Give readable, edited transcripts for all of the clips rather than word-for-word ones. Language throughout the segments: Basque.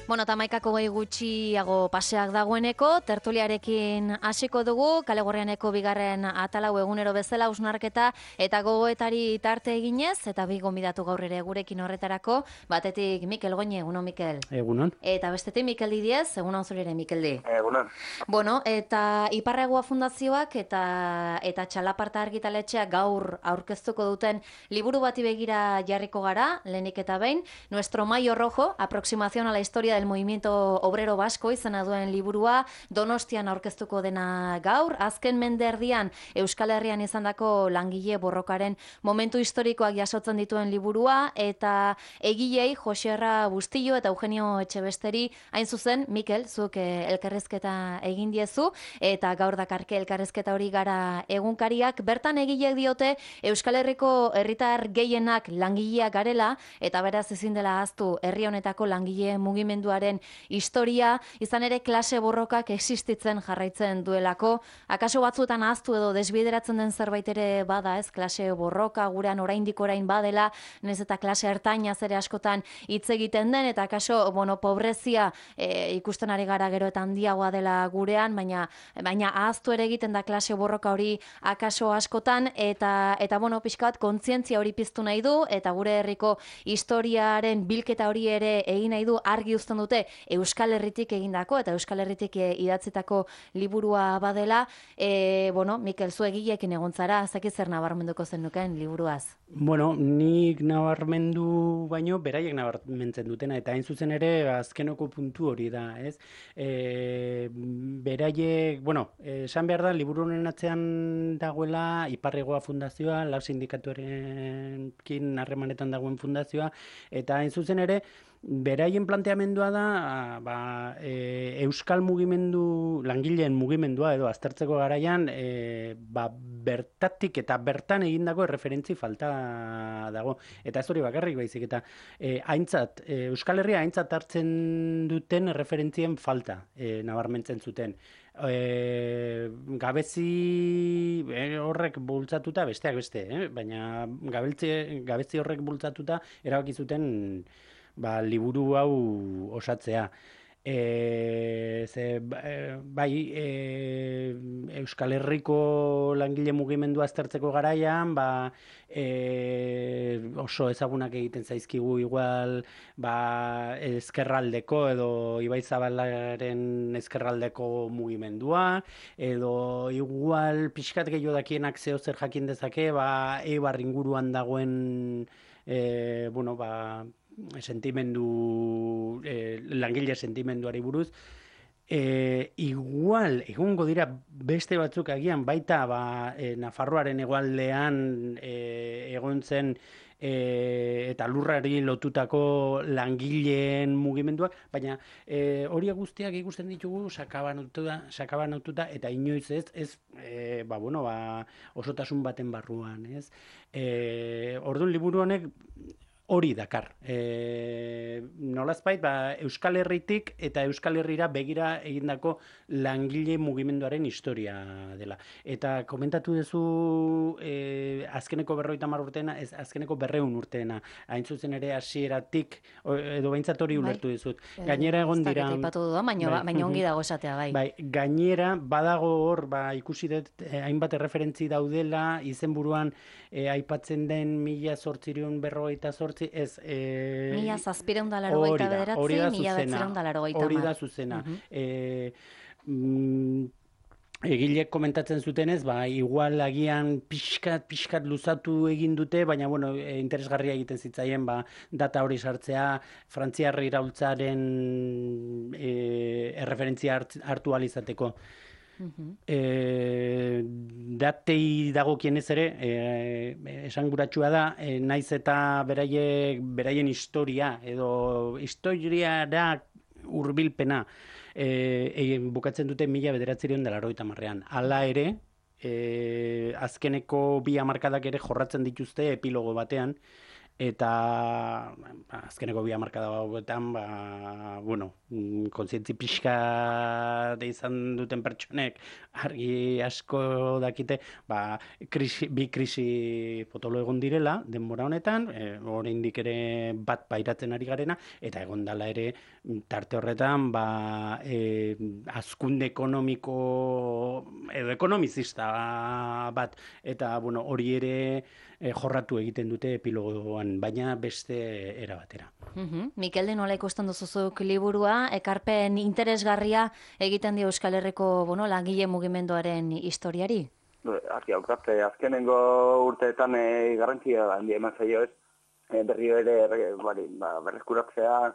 Bueno, eta 11 gutxiago paseak dagoeneko, tertuliarekin hasiko dugu, Kale Gorrianeko bigarren atalau egunero bezala hausnarketa eta gogoetari tarte eginez, eta bi gonbidatu gaur ere gurekin horretarako, batetik Mikel Goñi, egunon Mikel. Egunon. Eta bestetik Mikel Didiez, egunon zure ere Mikel Di. Egunon. Bueno, eta Iparregua Fundazioak eta Txalaparta Argitaletxeak gaur aurkeztuko duten liburu bati begira jarriko gara, lehenik eta behin, Nuestro Mayo Rojo, aproximación a la historia del movimiento obrero vasco izena duen liburua, Donostian aurkeztuko dena gaur, azken mende erdian Euskal Herrian izandako langile borrokaren momentu historikoak jasotzen dituen liburua, eta egilei Joserra Bustillo eta Eugenio Etxebesteri, hain zuzen, Mikel, zuk elkarrizketa egin diezu, eta gaur dakarke elkarrizketa hori gara egunkariak, bertan egileek diote Euskal Herriko herritar gehienak langileak garela, eta beraz ezin dela ahaztu herri honetako langile mugimenduaren historia, izan ere klase borrokak existitzen jarraitzen duelako, akaso batzuetan ahaztu edo desbideratzen den zerbait ere bada, ez, klase borroka gurean oraindik orain badela, nez eta klase ertainaz ere askotan hitz egiten den, eta akaso, pobrezia ikusten ari gara gero eta handiagoa dela gurean, baina ahaztu ere egiten da klase borroka hori akaso askotan, eta pixka bat kontzientzia hori piztu nahi du, eta gure herriko historiaren bilketa hori ere egin nahi du, argi uzten dute Euskal Herritik egindako eta Euskal Herritik idatzitako liburua badela. Mikel, zu egileekin egon zara, zaki zer nabarmenduko zenuken liburuaz? Bueno, nik nabarmendu baino, beraiek nabarmentzen dutena, eta hain zuzen ere azkenoko puntu hori da, ez? Beraiek, esan behar da, liburu honen atzean dagoela Iparregua Fundazioa, lau sindikatuarekin harremanetan dagoen fundazioa, eta hain zuzen ere, beraien planteamendua da Euskal mugimendu, langileen mugimendua edo aztertzeko garaian bertatik eta bertan egindako erreferentzi falta dago. Eta ez hori bakarrik baizik, eta Euskal Herria aintzat hartzen duten erreferentzien falta nabarmentzen zuten. Gabezi horrek bultzatuta, besteak beste, baina gabezi horrek bultzatuta erabaki zuten liburu hau osatzea. Euskal Herriko langile mugimendua aztertzeko garaian, oso ezagunak egiten zaizkigu igual ezkerraldeko edo Ibaizabalaren ezkerraldeko mugimendua, edo igual pixkat gehiago dakienak zeo zer jakin dezake, Eibar inguruan dagoen langile sentimenduari buruz. Igual, egongo dira beste batzuk agian, baita Nafarroaren hegoaldean egon zen eta lurrari lotutako langileen mugimenduak, baina hori guztiak ikusten ditugu sakabanatuta eta inoiz ez osotasun baten barruan, ez? Orduan liburu honek hori dakar. Nolazbait, Euskal Herritik eta Euskal Herrira begira egindako langile mugimenduaren historia dela. Eta komentatu duzu azkeneko 50 urteena, ez azkeneko 200 urteena. Hain zuzen ere hasieratik edo behintzat hori ulertu dizut. Gainera egon dira... Baina ongi dago esatea, bai. Gainera, badago hor, ikusi dut, hainbat erreferentzi daudela, izenburuan aipatzen den 1848, ez... 1789, 1989. Hori da zuzena. Egileek komentatzen zutenez, igual agian pixkat luzatu egin dute, baina interesgarria egiten zitzaien data hori sartzea, Frantziar iraultzaren erreferentzia hartu ahal izateko. Datei dagokienez ere, esanguratsua da, naiz eta beraien historia edo historiara hurbilpena bukatzen dute 1980an. Hala ere, azkeneko 2 hamarkadak ere jorratzen dituzte epilogo batean, eta azkeneko 2 hamarkada hauetan, kontzientzi pixka izan duten pertsonek argi asko dakite, bi krisi potolo egon direla denbora honetan, oraindik ere bat pairatzen ari garena, eta egon dela ere tarte horretan hazkunde ekonomiko edo ekonomizista bat, eta hori ere jorratu egiten dute epilogoan, baina beste era batera. Mikel, nola ikusten duzuzuk liburua, ekarpen interesgarria egiten dio Euskal Herriko langile mugimenduaren historiari? Azkenengo urteetan garrantzia handia eman zaio ez, berriro ere berreskuratzea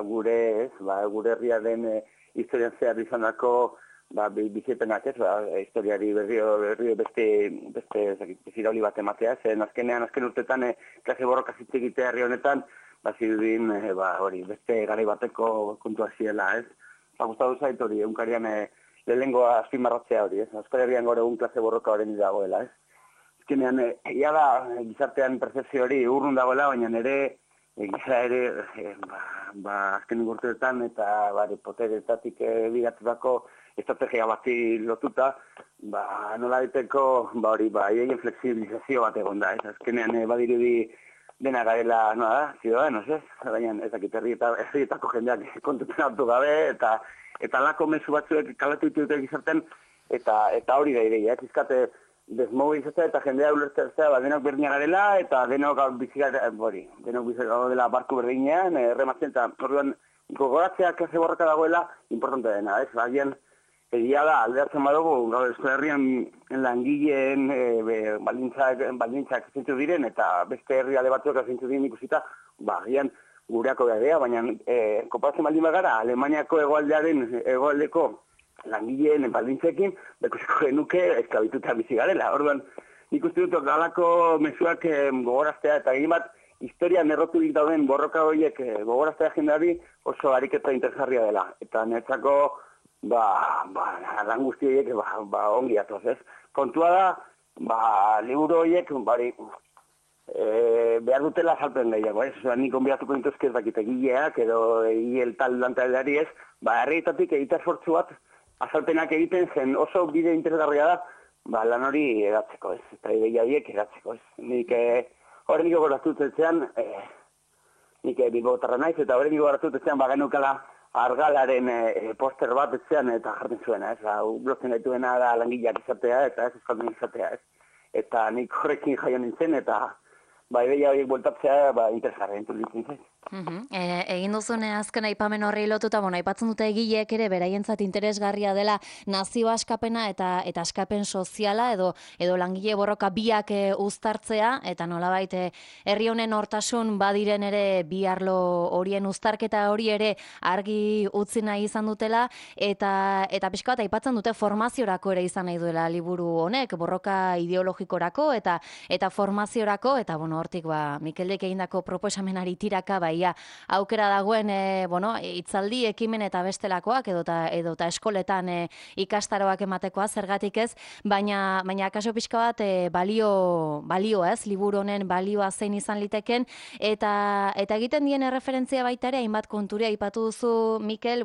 gure herriaren historian zehar izandako bizipenak ez, historiari berrio beste zirauli bat ematea, zen azken urteetan klase borroka hitz egitea herri honetan, zirudin beste garai bateko kontua ziela ez. Gustatu zait hori, egunkarian lehenengoa azpimarratzea hori ez, Euskal Herrian gaur egun klase borroka horren dagoela ez. Azkenean, ia da gizartean percepzio hori urrun dagoela, baina gira ere azken urteetan eta poteretatik bigatutako estrategia bati lotuta, nola diteko haien flexibilizazio bat egon da. Azkenean badirudi dena garela, ziudadanos, ez? Baina ez dakit herrietako jendeak kontutzen hartu gabe, eta lako mezu batzuek kalatu ditute gizarten, eta hori da ideia, izkate desmobilizatzea eta jendea ulertzea denok berdina garela, eta denok dela barku berdinean, rematzen, eta orduan gogoratzea klase borroka dagoela importante dena, ez? Bagian, egia da, aldeatzen badugu, Euskal Herrian langileen baldintzak zentzu diren, eta beste herrialde batzuek zentzu diren ikusita, agian gureako gadea, baina konparatzen baldin bagara, Alemaniako hegoaldeko langileen baldintzekin, bekusiko genuke esklabituta bizi garela. Orduan, nik uste dut galako mezuak gogoraztea, eta egin bat, historian erroturik dauden borroka horiek gogoraztea jendeari oso ariketa interesgarria dela. Eta netzako, lan guzti horiek ongi atoz, ez? Kontua da, liburu horiek, behar dutela azalpen gehiago, ez? Nik onbiatuko nintuzke ez dakit egileak, edo egile tal lantaldeari ez, herrietatik egita esfortzu bat, azalpenak egiten zen oso bide interesgarria da, lan hori edatzeko, ez? Eta ideia horiek edatzeko, ez? Nik horreniko goraztutetzean, nik bilbotarra naiz, eta horreniko goraztutetzean genukala argalaren poster bat etzean eta jartzen zuena, ez? Blotzen gaituena da langileak izatea eta ez euskaldun izatea, ez? Eta nik horrekin jaio nintzen, eta ideia horiek bueltatzea interesgarria entulitzen zen. Egin duzune azken aipamen horri lotuta, aipatzen dute egileek ere beraientzat interesgarria dela nazio askapena eta askapen soziala edo langile borroka biak uztartzea, eta nolabait herri honen hortasun badiren ere bi arlo horien uztarketa hori ere argi utzi nahi izan dutela, eta pixka bat aipatzen dute formaziorako ere izan nahi duela liburu honek, borroka ideologikorako eta formaziorako, eta hortik Mikeldek egindako proposamenari tiraka aukera dagoen hitzaldi, ekimen eta bestelakoak edota eskoletan ikastaroak ematekoa, zergatik ez, baina akaso pixka bat balio ez, liburu honen balioa zein izan liteken, eta egiten dien erreferentzia baita ere, hainbat konturia aipatu duzu, Mikel,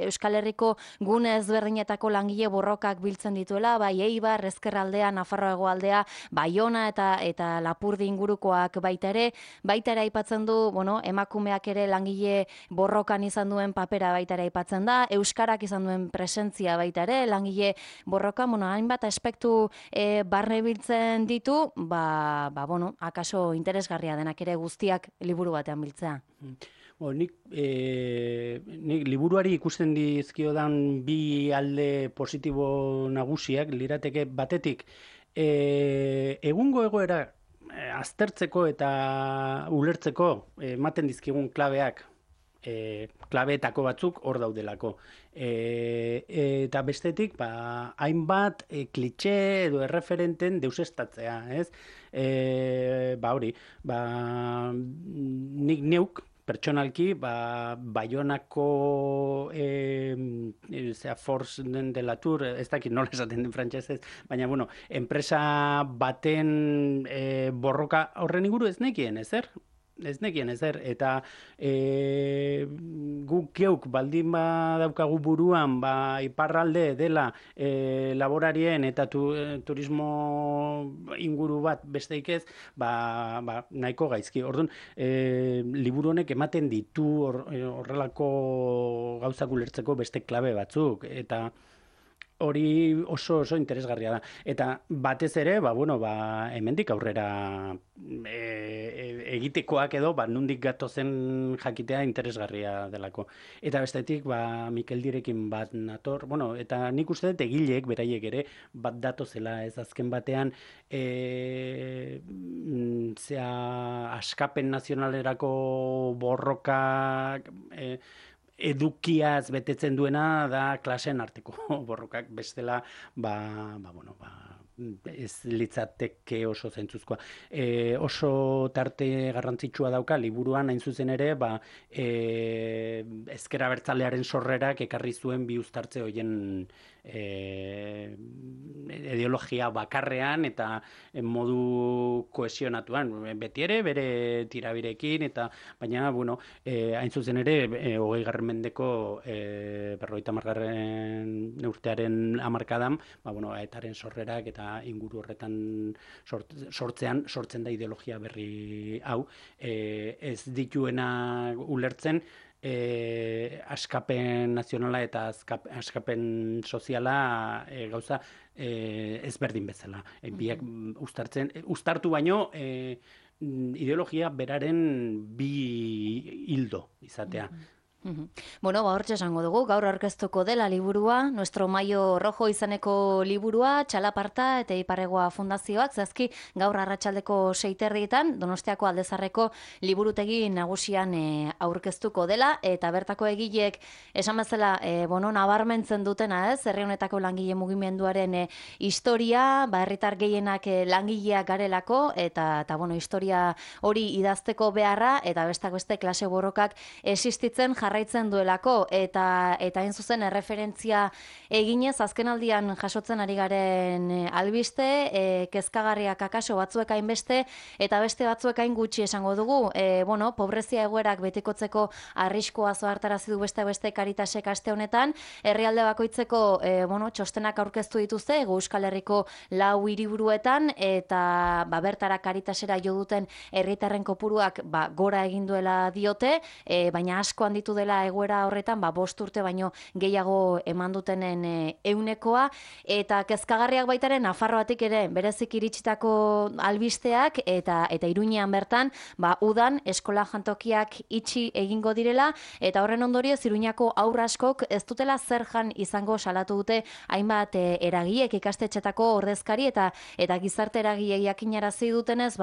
Euskal Herriko gune ezberdinetako langile borrokak biltzen dituela, Eibar, Ezkerraldea, Nafarroa hegoaldea, Baiona eta Lapurdi ingurukoak baita ere aipatzen du, emakumeak ere langile borrokan izan duen papera baita ere aipatzen da, euskarak izan duen presentzia baita ere, langile borrokan, hainbat aspektu barne biltzen ditu, akaso interesgarria denak ere guztiak liburu batean biltzea. Nik liburuari ikusten dizkiodan bi alde positibo nagusiak, lirateke batetik, egungo egoera aztertzeko eta ulertzeko ematen dizkigun klabeak, klabeetako batzuk hor daudelako. Eta bestetik, hainbat klitxe edo erreferenten deusestatzea, ez? Nik neuk pertsonalki, Baionako Force de la Tour, ez dakit nola esaten den frantsesez, baina, bueno, enpresa baten borroka horren inguru ez nekien, ezer? Ez nekien ezer, eta guk geuk baldin badaukagu buruan iparralde dela laborarien eta turismo inguru bat besteik ez, nahiko gaizki. Orduan, liburu honek ematen ditu horrelako gauzak ulertzeko beste klabe batzuk, eta hori oso interesgarria da. Eta batez ere, hemendik aurrera egitekoak edo, nondik gatozen jakitea interesgarria delako. Eta bestetik, Mikel Direkin bat nator, eta nik uste dut egileek, beraiek ere, bat datozela, ez azken batean, askapen nazionalerako borroka, edukiaz betetzen duena da klaseen arteko borrokak, bestela ez litzateke oso zentzuzkoa. Oso tarte garrantzitsua dauka liburuan hain zuzen ere, ezker abertzalearen sorrerak ekarri zuen bi uztartze horien ideologia bakarrean eta modu kohesionatuan, beti ere bere tirabirekin, baina hain zuzen ere 20. mendeko 50. urtearen hamarkadan, etaren sorrerak eta inguru horretan sortzen da ideologia berri hau, ez dituena ulertzen askapen nazionala eta askapen soziala gauza ezberdin bezala. Biak uztartu baino ideologia beraren bi hildo izatea. Bueno, hortxe esango dugu, gaur aurkeztuko dela liburua, Nuestro Mayo Rojo izeneko liburua, Txalaparta eta Iparregoa Fundazioak, zazki gaur arratsaldeko 6:00 Donostiako Aldezarreko liburutegi nagusian aurkeztuko dela, eta bertako egileek esan bezala, nabarmentzen dutena, ez, herri honetako langile mugimenduaren historia, herritar gehienak langileak garelako, eta historia hori idazteko beharra, eta bestak beste klase borrokak existitzen jarraitzen duelako, eta hain zuzen erreferentzia eginez azkenaldian jasotzen ari garen albiste, kezkagarriak akaso batzuek hainbeste eta beste batzuek hain gutxi esango dugu. Pobrezia egoerak betikotzeko arriskua zohartarazi du beste Karitasek aste honetan, herrialde bakoitzeko txostenak aurkeztu dituzte Euskal Herriko 4 hiriburuetan, eta bertara Karitasera jo duten herritarren kopuruak gora egin duela diote, baina asko handitu dela egoera horretan, 5 urte baino gehiago eman dutenen 100%, eta kezkagarriak baitaren Nafarroatik ere berezik iritsitako albisteak, eta Iruñean bertan, udan eskola jantokiak itxi egingo direla, eta horren ondorioz Iruñako haur askok ez dutela zer jan izango salatu dute hainbat eragileek, ikastetxetako ordezkari eta gizarte eragileek jakinarazi dutenez,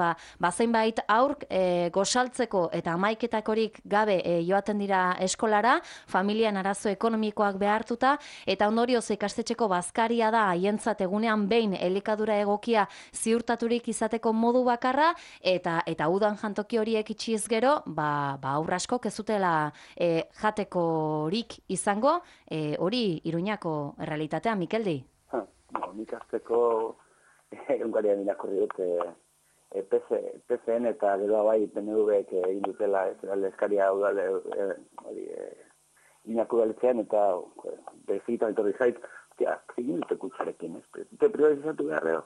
zeinbait haur gosaltzeko eta hamaiketakorik gabe joaten dira eskolara, familian arazo ekonomikoak behartuta, eta ondorioz ikastetxeko bazkaria da haientzat egunean behin elikadura egokia ziurtaturik izateko modu bakarra, eta udan jantoki horiek itxiz gero, aurra askok ez dutela jatekorik izango, hori Iruñako errealitatea, Mikeldi? Nik azteko egunkarian irakurri dut PCN eta gero PNV-ek egin dutela eskaria Iñako udaletzean, eta bezigitan etorri zait, egin dute kutsarekin, ez dute privatizatu behar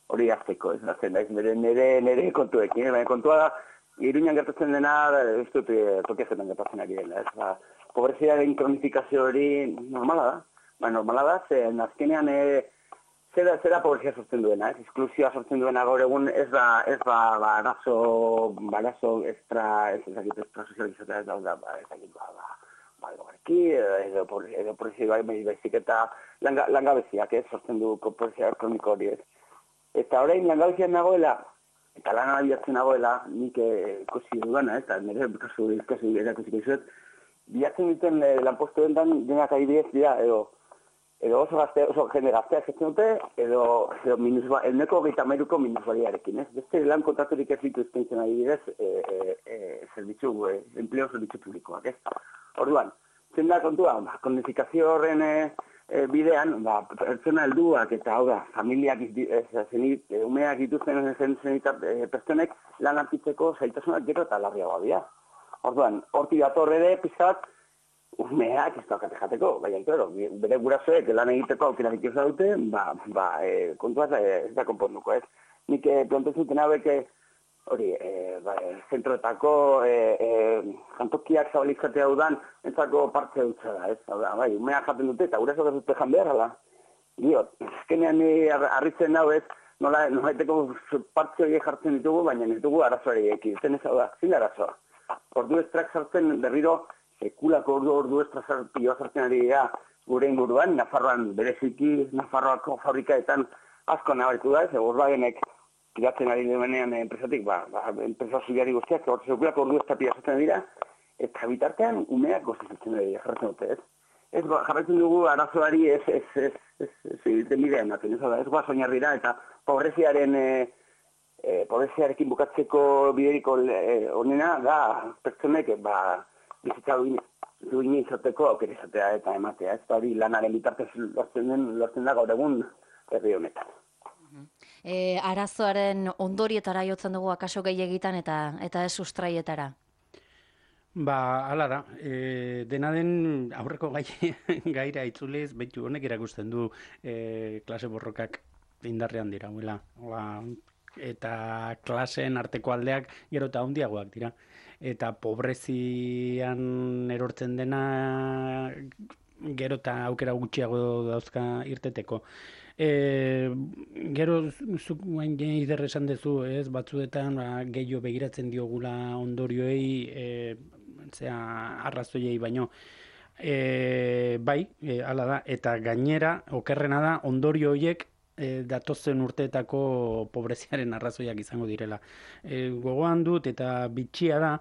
hori azteko, ez nire kontuekin, baina kontua da, Iruñan gertatzen dena, ez dut tokiazetan gertatzen ari dela, pobreziaren kronifikazio hori normala da, zen azkenean zera pobrezia sortzen duena, esklusioa sortzen duena gaur egun ez da arazo sozializatea ez da, edo pobrezia baizik eta langabeziak sortzen du pobrezia kroniko hori ez. Eta orain langabezian nagoela, eta lana bilatzen nagoela, nik ikusi dudana, eta nire kasu erakusiko izuet, bilatzen duten lanpostu dentan denak adibidez dira, edo edo oso jende gazteak etzen dute, edo euneko 33ko minusbaliarekin, ez? Beste lan kontraturik ez ditu eskaintzen adibidez, enpleo zerbitzu publikoak, ez? Orduan, zen da kontua, kodifikazio horren bidean, pertsona helduak eta hau da, familiak umeak dituzten pertsonek lan hartitzeko zailtasunak gero eta larriagoa dira. Orduan, hortik dator ere pizkat, umeak ez daukate jateko, baina, claro, bere gurasoek lan egiteko aukerarik ez dute, kontuaz ez da konponduko, ez? Nik planteatzen hauek hori, zentroetako jantokiak zabalizkatea dudan, entzako partze dutza da, ez? Bai, umeak jaten dute eta gurasoak ez dute jan behar, ala? Diot, ezkenean harritzen hau ez, nolaiteko partze horiek jartzen ditugu, baina ez dugu arazoari eki, zen ez hau da, zin arazoa. Ordu estrak sartzen berriro, sekulako ordu estrazarpioa sartzen ari dira gure inguruan, Nafarroan bereziki, Nafarroako fabrikaetan asko nabaritu da, ez Volkswagenek tiratzen ari denean enpresatik, enpresa zubiari guztiak, sekulako ordu estrazarpioa sartzen dira, eta bitartean umeak gozizatzen dira, jarratzen dute, ez? Ez jarraitzen dugu arazoari ez bidean ematen, ez goaz oinarrira, eta pobreziarekin bukatzeko bideriko onena da pertsonek bizitza duin izateko aukera izatea eta ematea. Ez da hori lanaren bitartez lortzen da gaur egun herri honetan. Arazoaren ondorietara jotzen dugu akaso gehiagitan eta ez sustraietara? Hala da. Dena den aurreko gaira itzuliz, behitu honek erakusten du klase borrokak indarrean dira. Eta klaseen arteko aldeak gero eta handiagoak dira. Eta pobrezian erortzen dena gero eta aukera gutxiago dauzka irteteko. Gero zuk guain ider esan dezu, ez, batzuetan gehiago begiratzen diogula ondorioei, arrazoiei baino. Bai, hala da, eta gainera, okerrena da, ondorio horiek datozen urteetako pobreziaren arrazoiak izango direla. Gogoan dut eta bitxia da,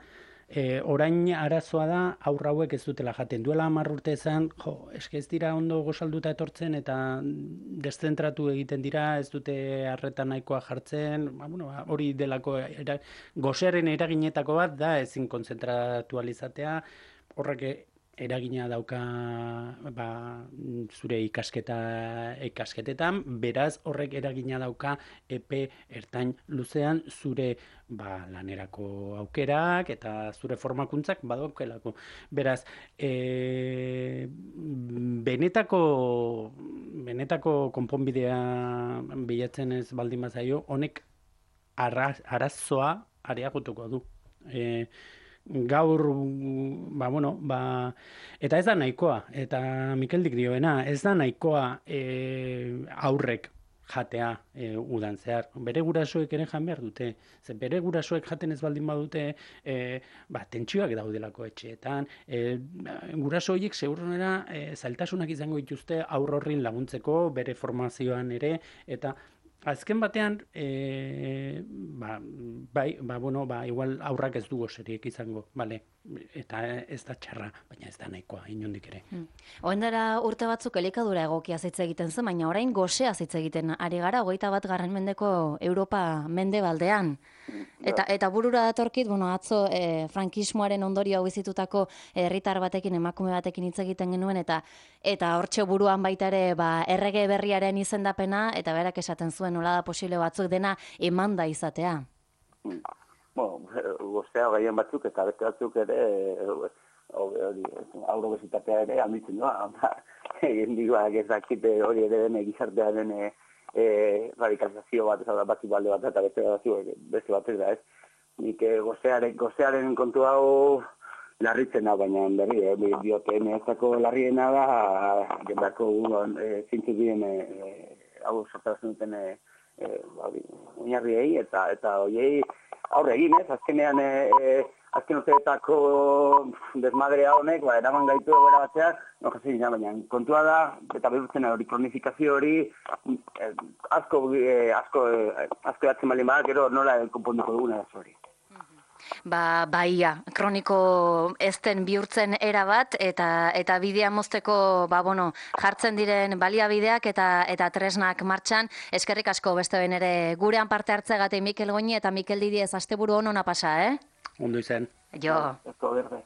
orain arazoa da aurra hauek ez dutela jaten. Duela 10 urte ezan, ez dira ondo gozalduta etortzen eta deszentratu egiten dira, ez dute arreta nahikoa jartzen, hori delako gozearen eraginetako bat da ezin kontzentratu alizatea, horrek eragina dauka zure ikasketetan, beraz horrek eragina dauka epe ertain luzean zure lanerako aukerak eta zure formakuntzak badaukelako. Beraz, benetako konponbidea bilatzen ez baldin bazaio, honek arazoa areagotuko du. Gaur, eta ez da nahikoa, eta Mikeldik dioena, ez da nahikoa aurrek jatea udan zehar. Bere gurasoek ere jan behar dute. Bere gurasoek jaten ez baldin badute, tentsioak daudelako etxeetan. Guraso horiek segurunera zailtasunak izango dituzte aur horrin laguntzeko, bere formazioan ere, eta azken batean, igual aurrak ez du gozeriek izango, bale, eta ez da txarra, baina ez da nahikoa, inondik ere. Oendara urte batzuk elikadura egokia hitz egiten zen, baina orain gozea hitz egiten ari gara, 21. mendeko Europa mendebaldean. Eta burura datorkit, atzo frankismoaren ondorio hau bizitutako herritar batekin, emakume batekin hitz egiten genuen, eta hortxe buruan baita ere errege berriaren izendapena, eta berak esaten zuen nola da posible batzuk dena emanda izatea. Gozea gaien batzuk eta beste batzuk ere aurrobesitatea ere handitzen doa. Egin diguak ez dakite hori ere den gizartearen radikalizazio bat, batzuk balde bat eta beste batzuk da ez. Nik gozearen kontu hau larritzen da, baina berri, dioten ezako larriena da, jendako zintzuk diren hau sortarazten duten oinarriei eta horiei aurre egin, ez? Azkenean, azken urteetako desmadrea honek, eraman gaitu egoera batzeak, baina kontua da, eta behurtzen hori kronifikazio hori, asko batzen baldin bada, gero nola konponduko duguna da hori. Baia, kroniko ezten bihurtzen era bat, eta bidea mozteko, jartzen diren baliabideak eta tresnak martxan. Eskerrik asko beste behin ere gurean parte hartzeagatik Mikel Goñi eta Mikel Didiez asteburu on ona pasa, Ondo izan. Jo. Esto berde,